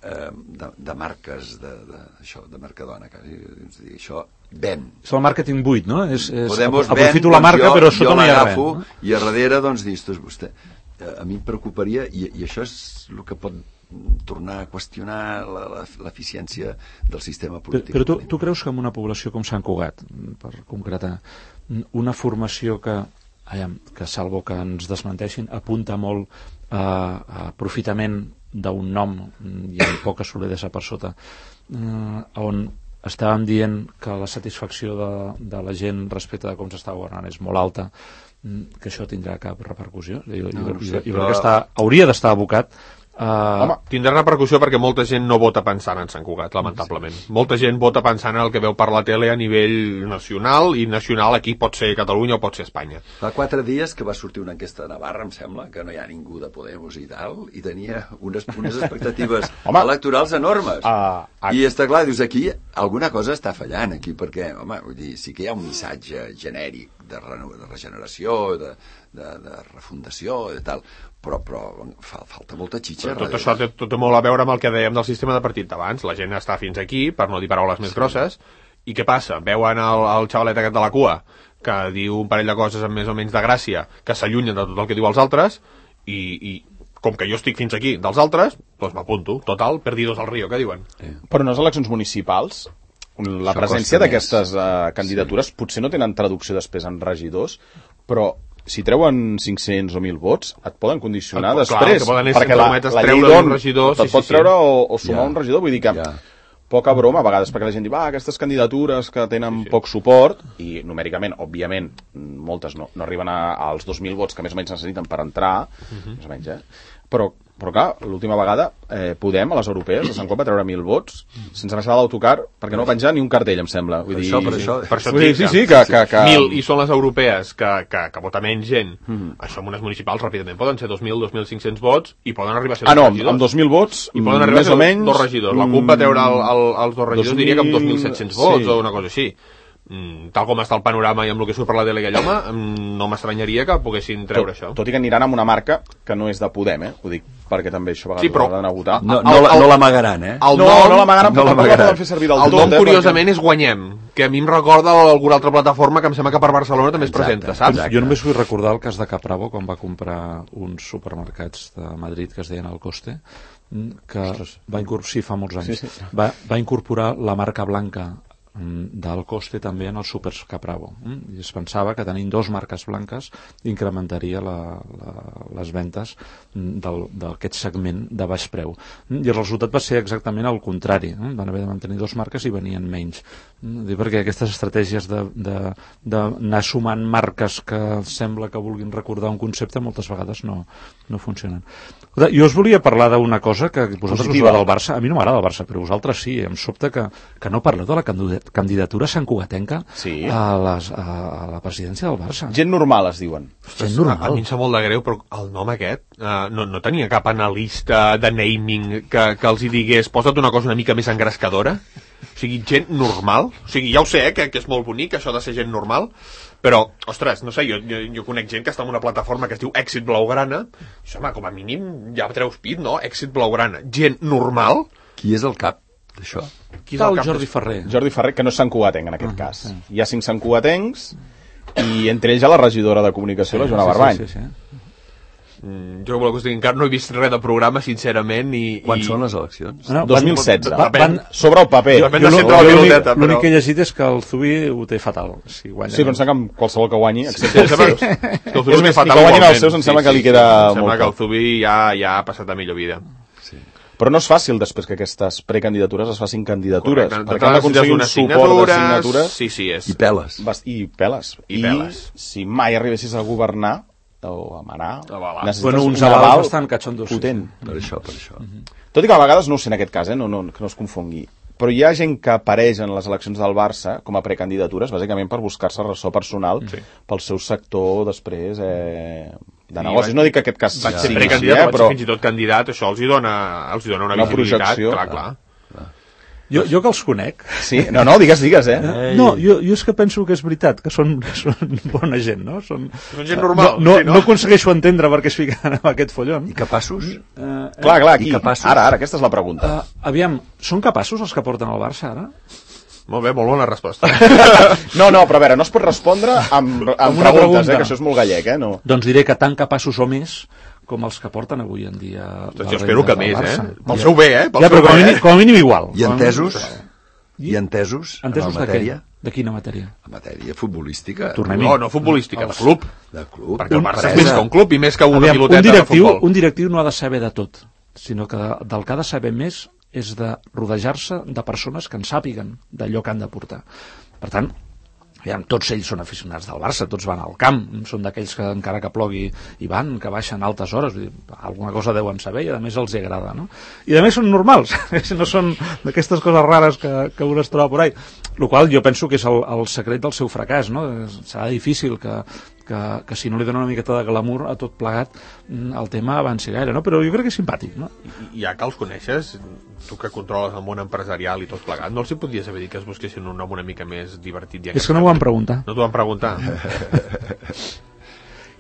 De, de marques de, de, això, de Mercadona, quasi, és dir, això ven. És el màrqueting buit, no? És, és, Podemos aprofito ven, la marca, doncs jo, però sota jo no hi ha res. l'agafo No? I a darrere, doncs, dius, vostè, a mi em preocuparia, i, i això és el que pot tornar a qüestionar l'eficiència del sistema polític. Però, però tu, tu creus que en una població com Sant Cugat, per concretar, una formació que, aviam, que salvo que ens desmenteixin, apunta molt a, a aprofitament d'un nom i amb poca solidesa per sota, eh, on estàvem dient que la satisfacció de, de la gent respecte de com s'està governant és molt alta, que això tindrà cap repercussió? Jo, No, jo, no jo, sé, jo però- crec que està, hauria d'estar abocat Uh, Home, tindrà repercussió perquè molta gent no vota pensant en Sant Cugat, lamentablement. Sí. Molta gent vota pensant en el que veu per la tele a nivell nacional, i nacional aquí pot ser Catalunya o pot ser Espanya. Fa quatre dies que va sortir una enquesta de Navarra, em sembla, que no hi ha ningú de Podemos i tal, i tenia unes, unes expectatives electorals enormes. Uh, uh, I està clar, dius, aquí alguna cosa està fallant, aquí, perquè, home, vull dir, sí que hi ha un missatge genèric de, reno, de regeneració, de, de, de refundació, i tal, però, però fa, falta molta xitxa. Però tot això té, tot té molt a veure amb el que dèiem del sistema de partit d'abans. La gent està fins aquí, per no dir paraules més sí. grosses, i què passa? Veuen el, el xavalet aquest de la cua, que diu un parell de coses amb més o menys de gràcia, que s'allunyen de tot el que diu els altres, i, i com que jo estic fins aquí dels altres, doncs m'apunto. Total, perdidos al río, què diuen? Sí. Però unes eleccions municipals la Això presència costa d'aquestes uh, candidatures sí. potser no tenen traducció després en regidors, però si treuen cinc-cents o mil vots, et poden condicionar el, després, clar, poden perquè la, la llei d'on regidor, te't sí, pot sí, treure sí. o, o sumar ja. un regidor, vull dir que ja. poca broma a vegades, perquè la gent diu, va, aquestes candidatures que tenen sí, sí. poc suport, i numèricament, òbviament, moltes no, no arriben a, als dos mil vots que més o menys necessiten per entrar, uh-huh. més o menys, eh? Però, però clar, l'última vegada eh, Podem, a les europees, a Sant Cop va treure mil vots sense baixar l'autocar, perquè no va penjar ni un cartell, em sembla. Vull per dir, això, per això. Per això sí, sí, sí, que, que, que... Mil, i són les europees que, que, que vota menys gent. Mm-hmm. Això en unes municipals ràpidament poden ser dos mil, dos mil cinc-cents vots i poden arribar a ser ah, dos no, regidors. amb dos mil vots, I poden arribar més a ser o menys... dos regidors. La CUP va treure el, el, els dos regidors, dos mil... diria que amb dos mil set-cents vots sí. o una cosa així. Mm, tal com està el panorama i amb el que surt per la tele aquell home, no m'estranyaria que poguessin treure tot, això. Tot i que aniran amb una marca que no és de Podem, eh? Ho dic perquè també això a vegades sí, però... d'anar a votar. No, no, el, no l'amagaran, eh? El no, nom, no l'amagaran, no però tampoc la poden fer servir del el tot. nom, eh, curiosament, perquè... és Guanyem, que a mi em recorda alguna altra plataforma que em sembla que per Barcelona també es Exacte, presenta, saps? exacte. Jo només vull recordar el cas de Capravo, quan va comprar uns supermercats de Madrid que es deien El Coste, que va incorporar, sí, fa molts anys, sí, sí. Va, va incorporar la marca blanca del Coste també en els súpers Capravo, i es pensava que tenint dos marques blanques incrementaria la, la, les ventes d'aquest segment de baix preu, i el resultat va ser exactament el contrari, van haver de mantenir dos marques i venien menys, perquè aquestes estratègies d'anar sumant marques que sembla que vulguin recordar un concepte moltes vegades no, no funcionen. Jo us volia parlar d'una cosa que vosaltres us va del Barça, a mi no m'agrada el Barça, però vosaltres sí, em sobta que, que no parleu de la candidatura santcugatenca sí. a, les, a, a la presidència del Barça. Gent normal, es diuen. Gent normal. A, a mi em sap molt de greu, però el nom aquest uh, no, no tenia cap analista de naming que, que els hi digués posa't una cosa una mica més engrescadora. O sigui, gent normal. O sigui, ja ho sé, eh, que, que és molt bonic això de ser gent normal, però, ostres, no sé, jo, jo, jo conec gent que està en una plataforma que es diu Èxit Blaugrana, i home, com a mínim ja treus pit, no? Èxit Blaugrana. Gent normal? Qui és el cap d'això? Qui és el, el Jordi Ferrer. Jordi Ferrer, que no és santcugatenc en aquest uh, cas. Sí. Hi ha cinc santcugatencs i entre ells hi ha la regidora de comunicació, sí, la Joana sí, Barbany. Sí, sí, sí. Mm, jo que us digui, encara no he vist res de programa, sincerament. I, Quan i... són les eleccions? No, dos mil setze. Van, van, sobre el paper. L'únic que he llegit és que el Zubi ho té fatal. Si guanya, sí, però em sembla que amb qualsevol que guanyi... Sí, sí, sí. Sí. Que el Zubi és més, que guanyin els seus em sembla sí, que li queda sí, molt sembla que el Zubi ja, ja ha passat a millor vida. Sí. Però no és fàcil després que aquestes precandidatures es facin candidatures. Correcte. Perquè han d'aconseguir un suport de signatures. Sí, sí, és. I peles. I peles. I, I peles. si mai arribessis a governar o a manar, necessites bueno, uns un aval bastant catxondos, potent. Sí, sí. Per això, per això. Uh-huh. Tot i que a vegades, no ho sé en aquest cas, eh, no, no, que no es confongui, però hi ha gent que apareix en les eleccions del Barça com a precandidatures, bàsicament per buscar-se ressò personal sí. pel seu sector després eh, de negocis. No dic que aquest cas vaig sigui ser així, eh, però... fins i tot candidat, això els hi dona, els hi dona una, una visibilitat. Projecció. Clar, clar. Jo, jo que els conec... Sí, no, no, digues, digues, eh? Ei. No, jo, jo és que penso que és veritat, que són, són bona gent, no? Són, són gent normal. No, no, sí, no? no aconsegueixo entendre per què es fiquen en aquest follon. I capaços? Uh, eh, clar, clar, aquí. Capaços? Ara, ara, aquesta és la pregunta. Uh, aviam, són capaços els que porten el Barça, ara? Molt bé, molt bona resposta. no, no, però a veure, no es pot respondre amb, amb, amb preguntes, pregunta. eh, que això és molt gallec, eh? No. Doncs diré que tan capaços o més com els que porten avui en dia... Doncs jo espero que més, eh? Pel seu bé, eh? Pel ja, però com a, mínim, com a mínim igual. I entesos? I entesos? Entesos en de matèria? què? De quina matèria? En matèria futbolística. Tornem-hi. No, no futbolística, de club. De club. Perquè el Barça és més que un club i més que una Aviam, piloteta un directiu, de futbol. Un directiu no ha de saber de tot, sinó que del que ha de saber més és de rodejar-se de persones que en sàpiguen d'allò que han de portar. Per tant, aviam, tots ells són aficionats del Barça, tots van al camp, són d'aquells que encara que plogui hi van, que baixen a altes hores, vull dir, alguna cosa deuen saber i a més els agrada, no? I a més són normals, no són d'aquestes coses rares que, que un es troba por ahí, el qual jo penso que és el, el secret del seu fracàs, no? Serà difícil que, que, que si no li dona una miqueta de glamour a tot plegat el tema avanci gaire, no? Però jo crec que és simpàtic, no? I ja que els coneixes, tu que controles el món empresarial i tot plegat, no els hi podries haver dit que es busquessin un nom una mica més divertit? És que no m'ho van preguntar. No t'ho van preguntar?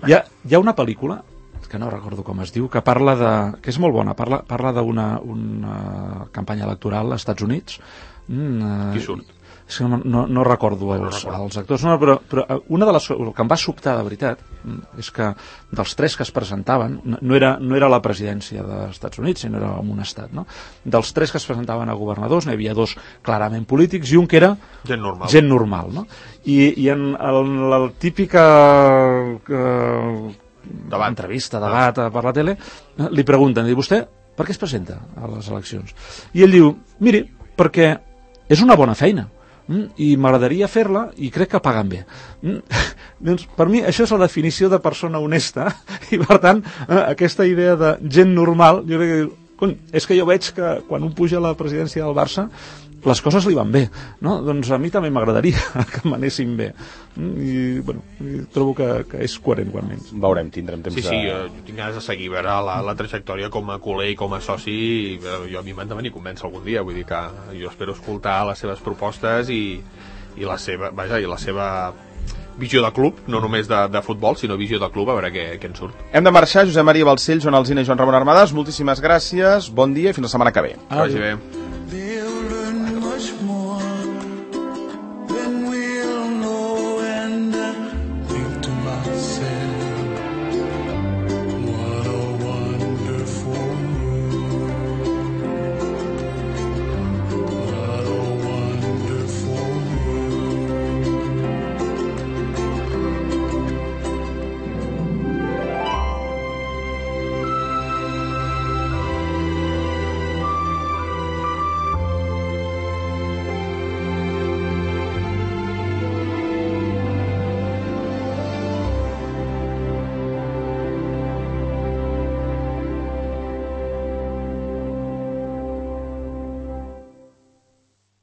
hi, ha, hi ha una pel·lícula que no recordo com es diu, que parla de... que és molt bona, parla, parla d'una una campanya electoral als Estats Units. Mm, Qui surt? és que no, no, no recordo els, els actors, no, però, però una de les, el que em va sobtar de veritat és que dels tres que es presentaven, no era, no era la presidència dels Estats Units, sinó era un estat, no? Dels tres que es presentaven a governadors n'hi havia dos clarament polítics i un que era gent normal, gent normal, no? I, i en el, la típica eh, debat. entrevista, debat ah. per la tele, li pregunten, i vostè per què es presenta a les eleccions? I ell diu, miri, perquè és una bona feina mm, i m'agradaria fer-la i crec que paguen bé. Mm, doncs per mi això és la definició de persona honesta i per tant eh, aquesta idea de gent normal, jo crec que cony, és que jo veig que quan un puja a la presidència del Barça les coses li van bé, no? Doncs a mi també m'agradaria que m'anessin bé i, bueno, i trobo que, que és coherent quan menys. Veurem, tindrem temps sí, de... Sí, jo, jo tinc ganes de seguir veure la, la trajectòria com a culer i com a soci i jo a mi m'han de venir convèncer algun dia, vull dir que jo espero escoltar les seves propostes i, i la seva, vaja, i la seva visió de club, no només de, de futbol, sinó visió de club, a veure què, què en surt. Hem de marxar, Josep Maria Balcells, Joan Alsina i Joan Ramon Armadas, moltíssimes gràcies, bon dia i fins la setmana que ve. Que vagi bé.